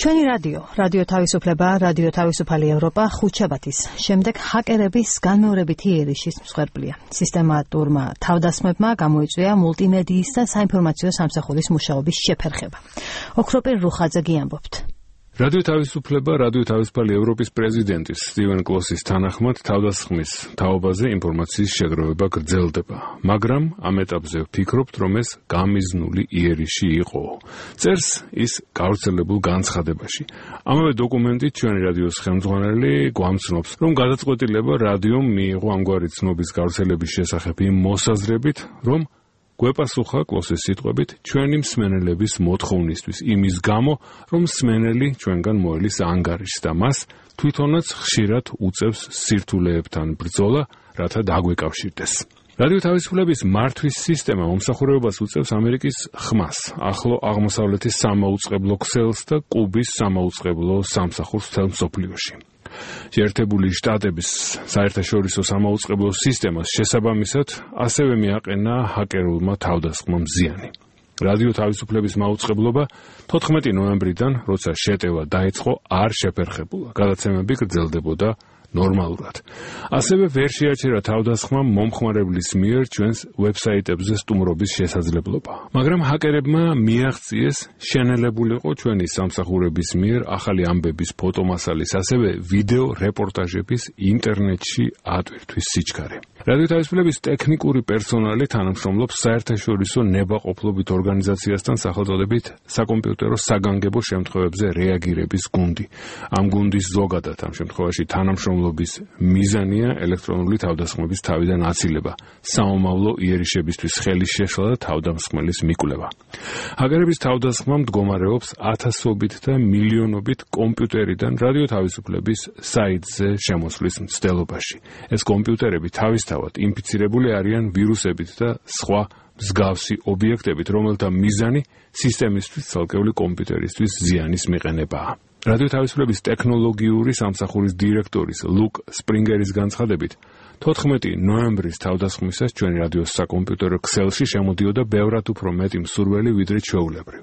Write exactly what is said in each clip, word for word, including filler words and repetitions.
ჩვენი რადიო, რადიო თავისუფლება, რადიო თავისუფალი ევროპა ხუთშაბათის შემდეგ ჰაკერების განმეორებითი იერიშის მსხვერპლია. სისტემატურმა თავდასხმებმა გამოიწვია მულტიმედიის და საინფორმაციო სამსახურის მუშაობის შეფერხება. ოქროპირ რუხაძე გიამბობთ. რადიო თავისუფლება, რადიო თავისუფალი ევროპის პრეზიდენტის სტივენ კლოსის თანახმად თავდასხმის თაობაზე ინფორმაციის შეგროვება გრძელდება, მაგრამ ამ ეტაპზე ვფიქრობთ, რომ ეს გამიზნული იერიში იყო. წერს ის გავრცელებულ განცხადებაში. ამავე დოკუმენტით ჩვენი რადიოს ხელმძღვანელი გვამცნობს, რომ გადაწყვეტილება რადიომ მიიღო ამგვარი ცნობის გავრცელების შესახებ იმ მოსაზრებით, რომ გვეპასუხა კლოსის სიტყვებით ჩვენი მსმენელების მოთხოვნისთვის იმის გამო, რომ მსმენელი ჩვენგან მოელის ანგარიშს და მას თვითონაც ხშირად უწევს სირთულეებთან ბრძოლა, რათა დაგვეკავშირდეს. რადიო თავისუფლების მართვის სისტემა მომსახურებას უწევს ამერიკის ხმას, ახლო აღმოსავლეთის სამაუწყებლო ქსელს და კუბის სამაუწყებლო სამსახურს მთელ მსოფლიოში. შეერთებული შტატების საერთაშორისო სამაუწყებლო სისტემას შესაბამისად ასევე მიაყენა ჰაკერულმა თავდასხმამ ზიანი. რადიო თავისუფლების მაუწყებლობა თოთხმეტი ნოემბრიდან, როცა შეტევა დაიწყო, არ შეფერხებულა. გადაცემები გრძელდებოდა ნორმალურად. ასევე ვერ შეაჩერა თავდასხმამ მომხმარებლის მიერ ჩვენს ვებსაიტებზე სტუმრობის შესაძლებლობა. მაგრამ ჰაკერებმა მიაღწიეს შენელებულიყო ჩვენი სამსახურების მიერ ახალი ამბების ფოტომასალის, ასევე ვიდეო რეპორტაჟების ინტერნეტში ატვირთვის სიჩქარე. რადიო თავისუფლების ტექნიკური პერსონალი თანამშრომლობს საერთაშორისო ნებაყოფლობით ორგანიზაციასთან სახელწოდებით საკომპიუტერო საგანგებო შემთხვევებზე რეაგირების გუნდი. ამ გუნდის ზოგადად ამ შემთხვევაში თანამშრომლობის მიზანია ელექტრონული თავდასხმების თავიდან აცილება, საომავლო იერიშებისთვის ხელის შეშლა და თავდამსხმელის მიკვლევა. ჰაკერების თავდასხმა მდგომარეობს ათასობით და მილიონობით კომპიუტერიდან რადიო თავისუფლების საიტზე შემოსვლის მცდელობაში. ეს კომპიუტერები თავის თავად ინფიცირებული არიან ვირუსებით და სხვა მსგავსი ობიექტებით, რომელთა მიზანი სისტემისთვის ცალკეული კომპიუტერისთვის ზიანის მიყენებაა. რადიო თავისუფლების ტექნოლოგიური სამსახურის დირექტორის ლუკ სპრინგერის განცხადებით, თოთხმეტი ნოემბრის თავდასხმისას ჩვენი რადიოს საკომპიუტერო ქსელში შემოდიოდა ბევრად უფრო მეტი მსურველი, ვიდრე ჩვეულებრივ.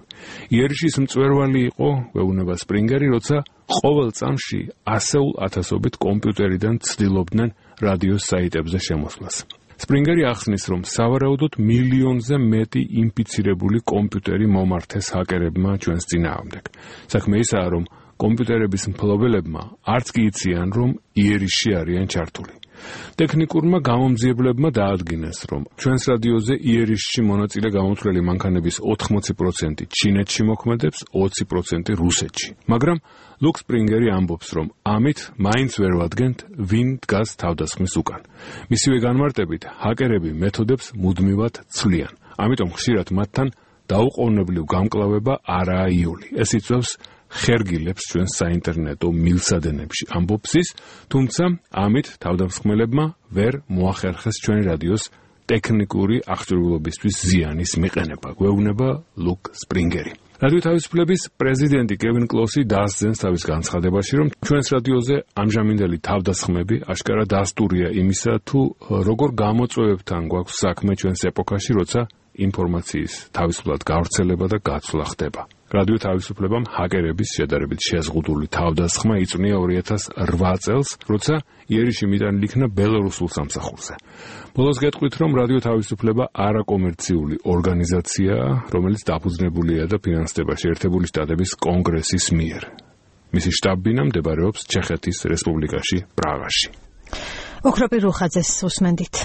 იერიშის მწვერვალი იყო, გვეუბნება სპრინგერი, როცა ყოველ წამში ასეულ ათასობით კომპიუტერიდან ცდილობდნენ რადიოს საიტებზე შემოსვლას. სპრინგერი ახსნის, რომ სავარაუდოდ მილიონზე მეტი ინფიცირებული კომპიუტერი მომართეს ჰაკერებმა ჩვენს წინააღმდეგ. საქმე ისაა, რომ კომპიუტერების მფლობელებმა არც კი იციან, რომ იერიში არიან ჩართული. ტექნიკურმა გამომძიებლებმა დაადგინეს, რომ ჩვენს რადიოზე იერიშში მონაწილე გამოთვლელი მანქანების ოთხმოცი პროცენტი ჩინეთში მოქმედებს, ოცი პროცენტი რუსეთში. მაგრამ ლუკ სპრინგერი ამბობს, რომ ამით მაინც ვერ ვადგენთ, ვინ დგას თავდასხმის უკან. მისივე განმარტებით, ჰაკერები მეთოდებს მუდმივად ცვლიან. ამიტომ ხშირად მათთან დაუყოვნებლივ გამკლავება არაა იული. ეს იწვევს ხერგილებს ჩვენს საინტერნეტო მილსადენებში, ამბობს ის, თუმცა ამით თავდამსხმელებმა ვერ მოახერხეს ჩვენი რადიოს ტექნიკური აღჭურვილობისთვის ზიანის მიყენება, გვეუბნება ლუკ სპრინგერი. რადიო თავისუფლების პრეზიდენტი კევინ კლოსი დაასძენს თავის განცხადებაში, რომ ჩვენს რადიოზე ამჟამინდელი თავდასხმები აშკარა დასტურია იმისა, თუ როგორ გამოწვევებთან გვაქვს საქმე ჩვენს ეპოქაში, როცა ინფორმაციის თავისუფლად გავრცელება და გაცვლა ხდება. რადიო თავისუფლებამ ჰაკერების შედარებით შეზღუდული თავდასხმა იწვნია ორი ათას რვა წელს, როცა იერიში მიტანილი იქნა ბელორუსულ სამსახურზე. ბოლოს გეტყვით, რომ რადიო თავისუფლება არაკომერციული ორგანიზაციაა, რომელიც დაფუძნებულია და ფინანსდება შეერთებული შტატების კონგრესის მიერ. მისი შტაბ-ბინა მდებარეობს ჩეხეთის რესპუბლიკაში, პრაღაში. ოქროპირ რუხაძეს უსმენდით.